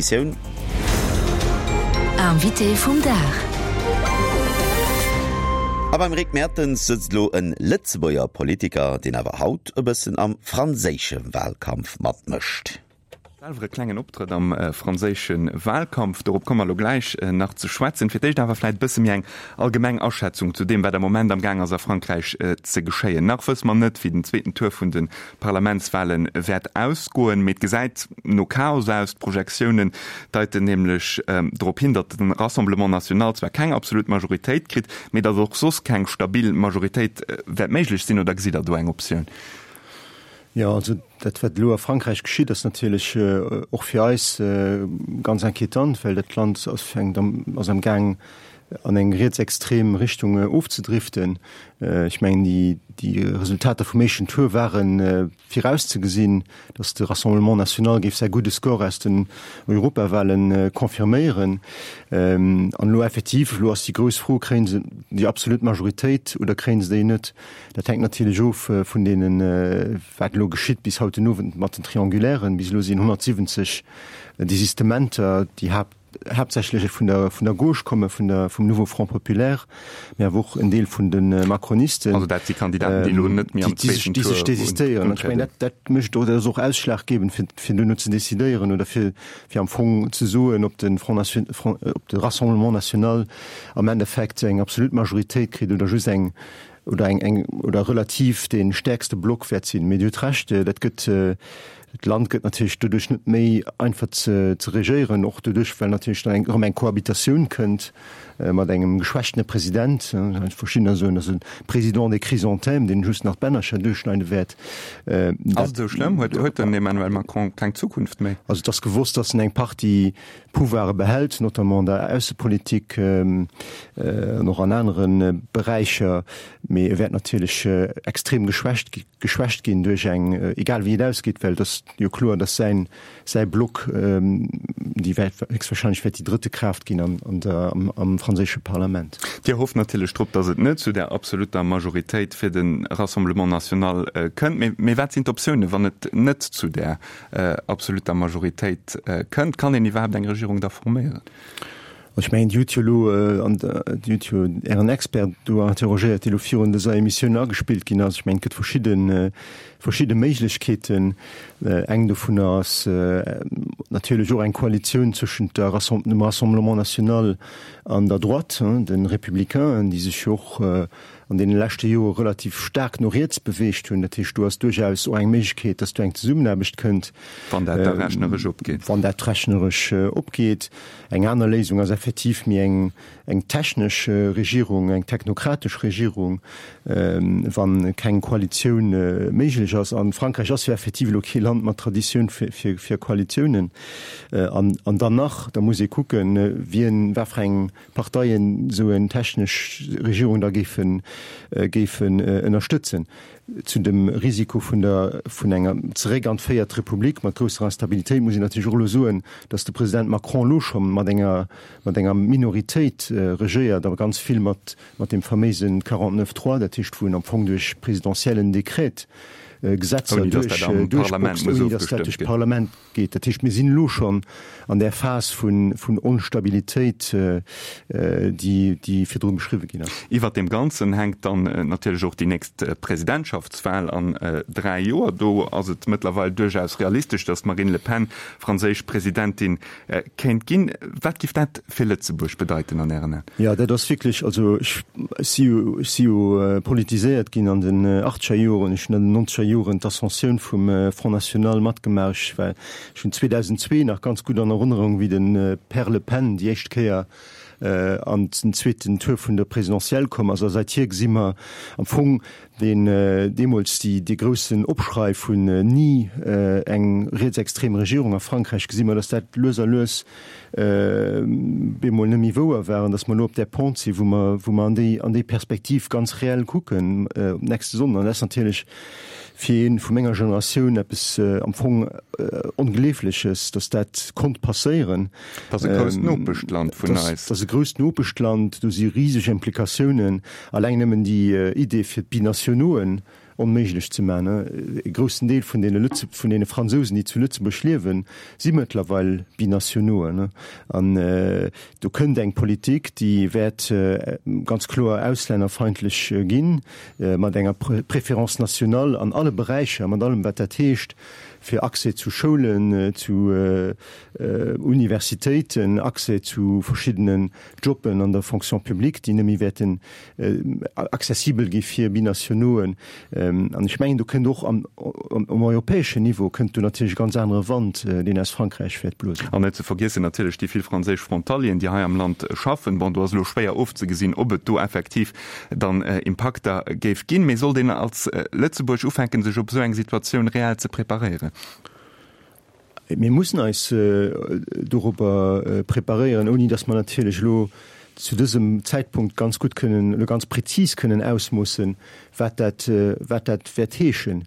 Missioun. Invité vum Dag. A beim Rick Mertens sëtzt elo en Lëtzebuerger Politiker, deen awer haut e bëssen am franséische Wahlkampf matmëscht. Selwer e klengen Optrëtt am franséische Wahlkampf, dorop komme mer elo gläich nach ze schwätzen. Fir d'éischt awer vläit e bësse méi eng allgemeng Aschätzung zu deem, wat am Moment am Gaang ass a Frankräich ze geschéien. Nach wësse mer net, wéi den zweeten Tour vun de Parlamentswale wäert ausgoen, mee et gesäit no Chaos aus. D'Projektiounen deiten nämlech drop hin, datt de Rassemblement National zwar keng absolut Majoritéit kritt, mee datt och soss keng stabil Majoritéit wäert méiglech sinn. Oder gesitt Der do eng Optioun? Jo, also dat wat elo a Frankräich geschitt, ass natierlech och fir eis ganz inquietant, well dat Land ass fänkt ass am Gaang an eng rietsextrem Richtung ofzedriften. Ech mengen, déi, déi Resultater vum éischten Tour ware virauszegesinn, datt de Rassemblement national géif säi gudde Score aus den Europawahlen confirméieren. An elo effektiv, elo ass déi grouss Fro, Kréien se déi absolut Majoritéit oder kréien se déi net? Dat hänkt natierlech of vun deenen, wat elo geschitt bis haut den Owend mat den Triangulairen. Bis elo sinn 170 Desistementer, déi Haapt, haaptsächlech vun der, vun der Gauche komme, vun der, vum Nouveau Front Populaire, mee awer och en Deel vun de Macronisten. Also dat si Kandidaten, déi elo net méi am zweeten Tour déi sech désistéieren. Ech mengen, dat, dat mécht och, dat ass och ausschlaggebend, fir, fir duerno ze decidéieren oder fir, fir am Fong ze soen, ob de Front Nation, Front, ob de Rassemblement National am Endeffekt eng absolut Majoritéit kritt oder just eng, oder eng, eng, oder relativ dee stäerkste Block wäert sinn. Mee Dir hutt Recht, dat gëtt, D'Land gëtt natierlech doduerch net méi einfach ze regéieren, och doduerch, well natierlech dann erëm eng Cohabitatioun kënnt mat engem geschwächtene President. Verschiddener soen, dat ass e Président des chrysanthèmes, deen just nach d'Bännercher duerchschneide wäert. Ass et esou schlëmm? Huet den Emmanuel Macron keng Zukunft méi? Also et ass gewosst, datt en eng Partie Pouvoire behält, notamment an der Aussepolitik an och an anere Beräicher, mee e wäert natierlech extrem geschwächt gi geschwächt ginn duerch eng, egal wéi et ausgeet, well et ass jo kloer, datt säin, säi Block déi wäert héchstwahrscheinlech wäert déi drëtte Kraaft ginn an, an der, am, am franséische Parlament. Dir hofft natierlech drop, datt et net zu där absolutter Majoritéit fir de Rassemblement national kënnt. Mee, mee wat sinn d'Optiounen, wann et net zu där absolutter Majoritéit kënnt? Kann een iwwerhaapt eng Regierung da forméieren? Ech mengen, Dir hutt jo elo, an Dir hutt jo Ären Expert do interrogéiert, dee elo virun dëser Emissioun agespillt ginn ass. Ech mengen, et gëtt verschidde, verschidde Méiglechkeeten. Eng dovunner ass natierlech och eng Koalitioun zwëschent der dem Rassemblement national an der Droite, de Républicainen, déi sech jo och an deene leschte Jore relativ staark no riets beweegt hunn. Dat heescht, do ass duerchaus och eng Méiglechkeet, dass do eng Zesummenaarbecht kënnt. Wann dat da rechneresch opgeet. Wann dat rechneresch opgeet. Eng aner Léisung ass effektiv méi eng, eng technesch Regierung, eng technokratesch Regierung, wa keng Koalitioun méiglech ass. A Frankräich ass jo effektiv elo kee Land mat Traditioun fir, fir Koalitiounen. An, an dann nach, da muss ee kucken, wien, wat fir eng Parteien esou eng technesch Regierung da géifen, géifen ënnerstëtzen. Zu dem Risiko vun der, vun enger zeréck an d'véiert Republik mat grousser Instabilitéit muss een natierlech och elo soen, datt de President Macron elo scho mat enger, mat enger Minoritéit regéiert a ganz vill mat, mat deem faméise 49 trois, dat heescht wou en am Fong duerch presidentiellen Dekret Gesetzer duerch, duerchboxt, ouni datt dat duerch d'Parlament geet. Dat heescht, mir sinn elo schonn an där Phas vun Onstabilitéit, déi virdru beschriwwe ginn ass. Iwwert deem Ganzen hänkt dann natierlech och déi nächst Presidentschaftswal an 3 Joer. Do ass et mëttlerweil duerchaus realistesch, datt d'Marine Le Pen franséisch Presidentin kéint ginn. Wat giff dat fir Lëtzebuerg bedeiten an Ären Aen? Jo, dat ass wierklech, also ech si jo, ech si jo politiséiert ginn an den achtzeger Joren. Ech hunn an den nonzeger Joren d'Ascensioun vum Front National matgemaach. Ech war, ech hunn 2002 nach ganz gutt an Erënnerung, wéi de Père Le Pen déi éischt Kéier an den zweeten Tour vun der Présidentielle komm ass. A säithier gesi mer am Fong deen deemools déi, dee groussen Opschrei vun ni eng rietsextrem Regierung a Frankräich, gesi mer, datt dat lues a lues bemol net méi wouer war an datt mer elo op där Pente sinn, wou mer, wou mer an déi, an déi Perspektiv ganz reell kucken op nächste Sonnden. An dat ass natierlech fir ee vu menger Generatioun eppes am Fong Ongleefleches, datt dat konnt passéieren. Dat ass e grousst Nopeschland vun eis. Dat ass e grousst Nopeschland, do si riseg Implikatiounen. Alleng nëmmen déi Idee fir d'Binationauxen. onméiglech ze maachen. E groussen Deel vun deene Lëtze-, vun deene Fransousen, déi zu Lëtzebuerg liewen, si mëttlerweil Binationauxen. An do kënnt eng Politik, déi wäert ganz kloer auslännerfeindlech ginn, mat enger Préférence nationale an alle Beräicher, mat allem wat dat heescht fir Accès zu Schoulen, zu Universitéiten, Accès zu verschiddenen Jobben an der Fonction publique, déi net méi wäerten accessibel gi fir Binationauxen. An ech mengen, do kënnt och am um europäeschen Niveau kënnt do natierlech e ganz anere Wand, deen aus Frankräich wäert blosen. An net ze vergiessen natierlech déi vill franséisch Frontalieren, déi hei am Land schaffen. Bon, do ass elo schwéier ofzegesinn, ob et do effektiv dann Impakter géif ginn. Mee sollt een als Lëtzebuerg ufänken, sech op esou eng Situatioun reell ze preparéieren? Mir mussen eis dorobber preparéieren, ouni datt mer natierlech elo zu dësem Zäitpunkt ganz gutt kënnen, elo ganz prezis kënnen ausmoossen, wat dat, wat dat wäert heeschen.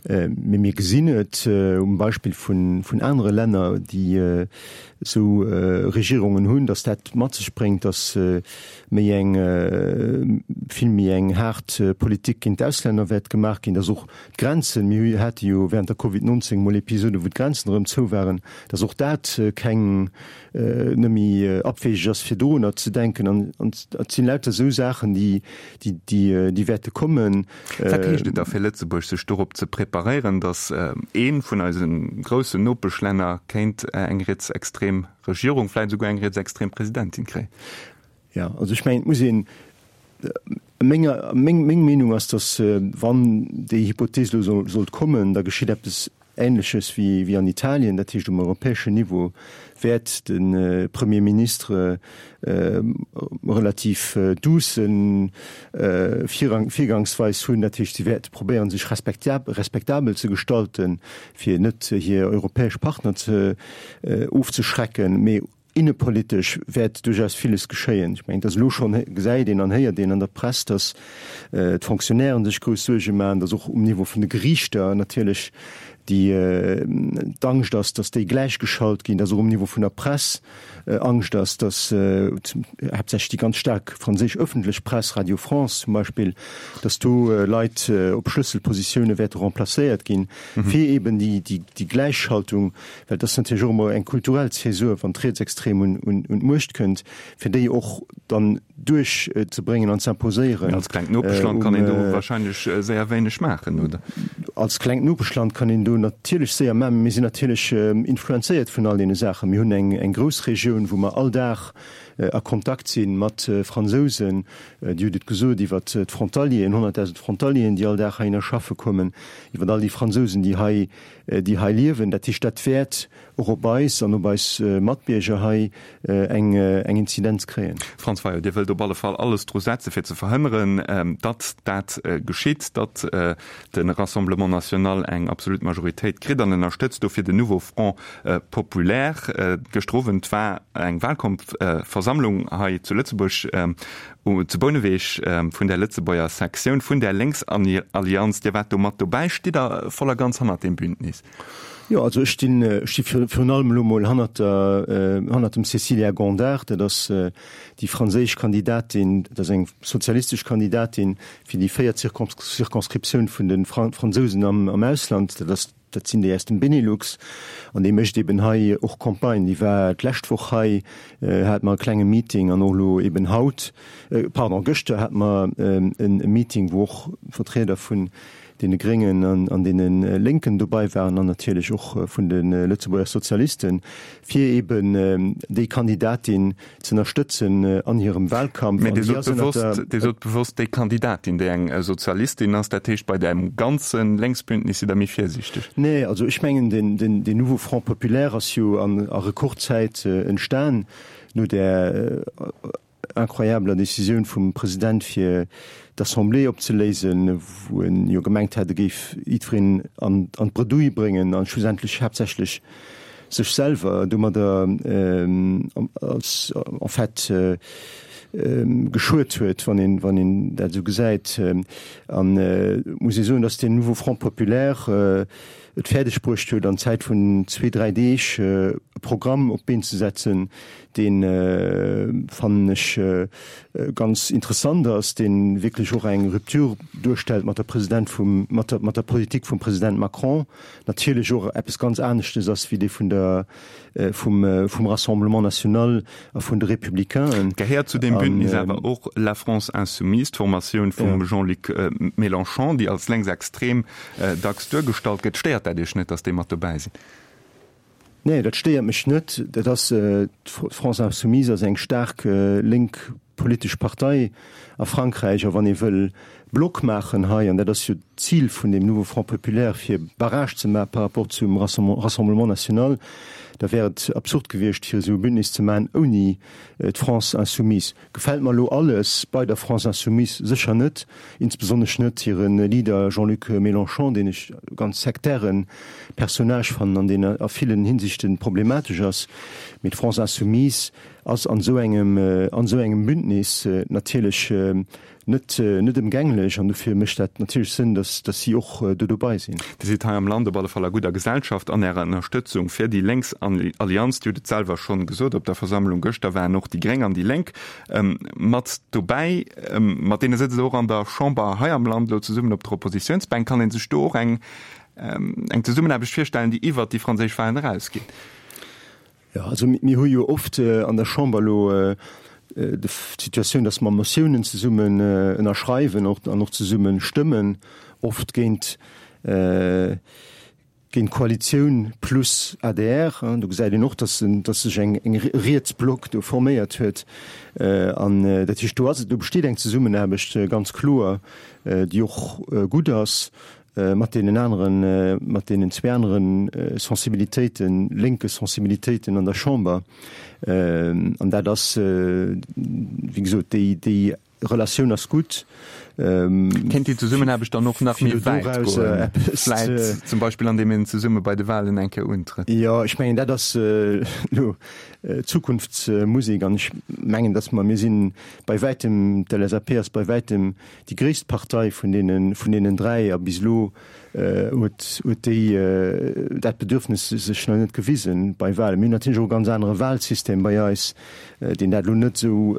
Mee mir gesinn et um Beispill vun, vun anere Länner, déi esou Regierungen hunn, datt dat mat sech bréngt, datt méi eng, vill méi eng haart Politik géint d'Auslänner wäert gemaach ginn, datt och D'Grenzen, mir hate jo während der Covid 19 mol Episoden, wou d'Grenzen erëm zou waren, dass och dat keng net méi abwegeg ass fir dorunner ze denken. An et sinn lauter esou Saachen, déi, déi, déi wäerte kommen. Wat heescht et da fir Lëtzebuerg, sech dorop ze preparéieren, dass ee vun eise groussen Nopeschlänner kéint eng rietsextrem Regierung, vläicht esouguer eng rietsextrem Presidentin kréien? Jo, also ech mengen, et muss een, menger, meng, meng Meenung ass, datt wann déi Hypothees elo sollt kommen, da geschitt eppes Ähnleches wéi, wéi an Italien. Dat heescht, um europäeschen Niveau wäert de Premier Ministre relativ douce Virang, Virgangsweis hunn. Dat heescht, si wäerte probéieren, sech respektabel ze gestalten, fir net hir europäesch Partner ze ofzeschrecken. Mee Innepolitesch wäert duerchaus villes geschéien. Ech mengen, et ass elo schonn, gesäit een an héiert een an der Press, datt d'Fonctionnairen sech grouss Suerge maachen, datt och um Niveau vun de Geriichter natierlech déi d'Angscht ass, datt déi gläichgeschalt ginn, datt och um Niveau vun der Press Angscht ass, datt haaptsächlech déi ganz staark franséisch ëffentlech Press, Radio France zum Beispill, datt do Leit op Schlësselpositioune wäerte remplacéiert ginn, fir eeben déi Gläichschaltung Well et ass natierlech och ëmmer eng kulturell Zäsur, wann d'Rietsextrem un d'Muecht kënnt, fir déi och dann duerchzebréngen an ze imposéieren. Mee als klengt Nopeschland kann een do wahrscheinlech séier wéineg maachen, oder? Als klengt Nopeschland kann een do natierlech séier maachen. Mee mir sinn natierlech influenzéiert vun all deene Saachen. Mir hunn eng Groussregioun, wou mer all Dag a Kontakt si mat Fransousen. Dir hutt et gesot, iwwert d'Frontalieren, 100.000 Frontalieren, déi all Dag heihinner schaffe kommen, iwwert all déi Fransousen, déi hei déi hei liewen. Dat heescht, dat wäert och op eis an op eis Matbierger hei eng Inzidenz kréien. Franz Fayot, Dir wëllt op alle Fall alles dru setze fir ze verhënneren, datt dat geschitt, datt de Rassemblement national eng absolut Majoritéit kritt an ënnerstëtzt dofir den Nouveau Front populaire. Gëschter Owend war eng Wahlkampfversammlung hei zu Lëtzebuerg. Zu Bouneweg vun der Lëtzebuerger Sektioun vun der Lénksallianz. Dir waart do mat dobäi. Stitt Der voll a ganz hannert deem Bündnis? Jo, also ech stinn, ech sti virun allem elo mol hannert der, hannert dem Cécilia Gondard. Dat ass déi franséisch Kandidatin, dat ass eng sozialistesch Kandidatin fir déi véiert Circonscriptioun vun de Fransousen am Ausland. Dat ass Dat sinn déi aus dem Benelux an déi mécht eben hei och Campagne. Déi war d'lescht Woch hei, hat mer e klenge Meeting an och elo eben haut, pardon, gëschter hat mer e Meeting, wou och Vertrieder vun deene Gréngen an deene Lénken dobei waren an natierlech och vun de Lëtzebuerger Sozialisten, fir eben déi Kandidatin ze ënnerstëtzen an hirem Wahlkampf. Mä Dir sot bewosst, Dir sot bewosst déi Kandidatin, déi eng Sozialistin ass. Dat heescht, bei deem ganze Lénksbündnis sidd Der méi virsiichteg? Nee, also ech mengen, den, den, den Nouveau Front populaire ass jo an a Rekordzäit entstan no där incroyabeler Décisioun vum President fir d'Assemblée opzeléisen, wou en jo gemengt hat, e géif jiddwereen an an d'Bredouille bréngen an schlussendlech haaptsächlech sech selwer domadder als en fait geschuet huet, wann een wann een dat esou gesäit. An et muss ee soen, datt deen Nouveau Front populaire. et fäerdeg bruecht huet, an Zäit vun zwee, dräi Deeg e Programm op d'Been ze setzen, deen, fannen ech, ganz interessant ass, dee wierklech och eng Rupture duerstellt mat der President vum, mat der, mat der Politik vum President Macron, natierlech och eppes ganz aneschtes ass wéi dee vun der, vum, vum Rassemblement national a vun de Républicainen. Gehéiert zu deem Bündnis awer och La France insoumise, d'Formatioun vum Jean-Luc Mélenchon, déi als lénksextrem dacks duergestallt gëtt. Stéiert dat Iech net, datt déi mat dobäi sinn? Nee, dat stéiert mech net. Dat ass, d'France Insoumise ass eng staark lénk politesch Partei a Frankräich. A wann ee wëll Block maachen hei, an dat ass jo d'Zil vun deem Nouveau Front populaire, fir Barrage ze maache par rapport zum Rassemblement national, da wär et absurd gewiescht, fir esou e Bündnis ze maachen ouni d'France Insoumise. Gefält mer elo alles bei der France Insoumise? Sécher net, insbesonnesch net hire Leader Jean-Luc Mélenchon, deen ech e ganz sektäre Personnage fannen an deen a villen Hinsichte problematesch ass. Mee d'France Insoumise ass an esou engem, an esou engem Bündnis natierlech net net ëmgänglech an dofir mécht dat natierlech Sënn, dass dass si och do dobei sinn. Dir sidd hei am Land op alle Fall a gudder Gesellschaft an Ärer Ënnerstëtzung fir déi lénks Allianz. Dir hutt et selwer schonn gesot, op der Versammlung gëschter waren och déi Gréng an déi Lénk mat dobäi. Mat deene sëtzt Der och an der Chamber hei am Land elo zesummen op der Oppositiounsbänk. Kann ee sech do och eng eng Zesummenaarbecht virstellen, déi iwwert déi franséisch Wahlen erausgeet? Jo, also mir hu jo oft an der Chamber elo d'Situatioun, datt mer Motiounen zesummen ënnerschreiwen an och zesumme stëmmen, oft géint géint d'Koalitioun plus adr. Do gesäit een och, datt datt sech eng eng Rietsblock do forméiert huet. An dat heescht, do ass et, do besteet eng Zesummenaarbecht ganz kloer, déi och gutt ass. mat deenen aneren, mat deenen zwee aneren Sensibilitéiten, lénke Sensibilitéiten an der Chamber. An dat ass, wéi gesot, déi, déi Relatioun ass gutt. Kéint déi Zesummenaarbecht dann och nach méi wäit goen? Vläit zum Beispill andeem een zesumme bei de Wahlen eng Kéier untrëtt? Jo, ech mengen, dat ass elo Zukunftsmusek. An ech mengen, datt mer, mir si bei wäitem, d'LSAP ass bei wäitem Déi gréisst Partei vun deenen, vun deenen 3, a bis elo huet, huet déi dat Bedürfnis sech nach net gewisen bei Wahlen. Mir hunn natierlech och e ganz anere Wahlsystem bei eis, deen dat elo net esou,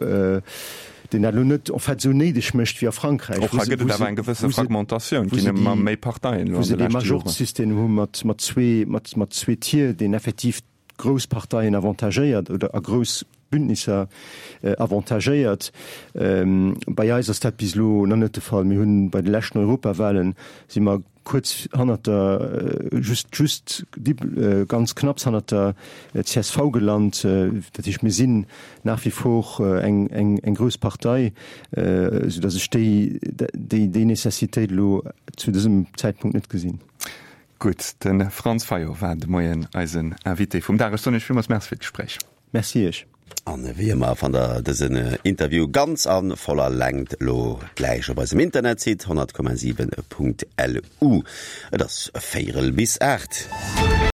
deen dat elo net en fait esou néideg mécht wéi a Frankräich, Och wou hei se, gëtt et wou awer se, eng gewësse wou se, Fragmentatioun, wou ginn se ëmmer déi, méi Parteien elo wou an se de dee leschte Joren. Majorzsystem hu mat, mat zwee, mat, mat zwee Tier, deen effektiv grouss Parteien avantagéiert oder a grouss Bündnisser avantagéiert. Bei eis ass dat bis elo nach net de Fall. Mir hunn bei de leschten Europawahlen si mer kuerz hannert der, just, just ganz knapps hannert der csv gelant. Dat heescht, mir sinn nach wie vor eng, eng, eng grouss Partei, soudass ech déi, déi, déi Necessitéit elo zu dësem Zäitpunkt net gesinn. Gutt, de Franz Fayot war de Moien eisen Invité vum Dag. Ech soen Iech villmools Merci fir d'Gespréich. Merci Iech. An wéi ëmmer fannt der dësen Interview ganz a voller Längt elo gläich op eisem Internetsite 100,7.lu. Et ass véierel bis 8.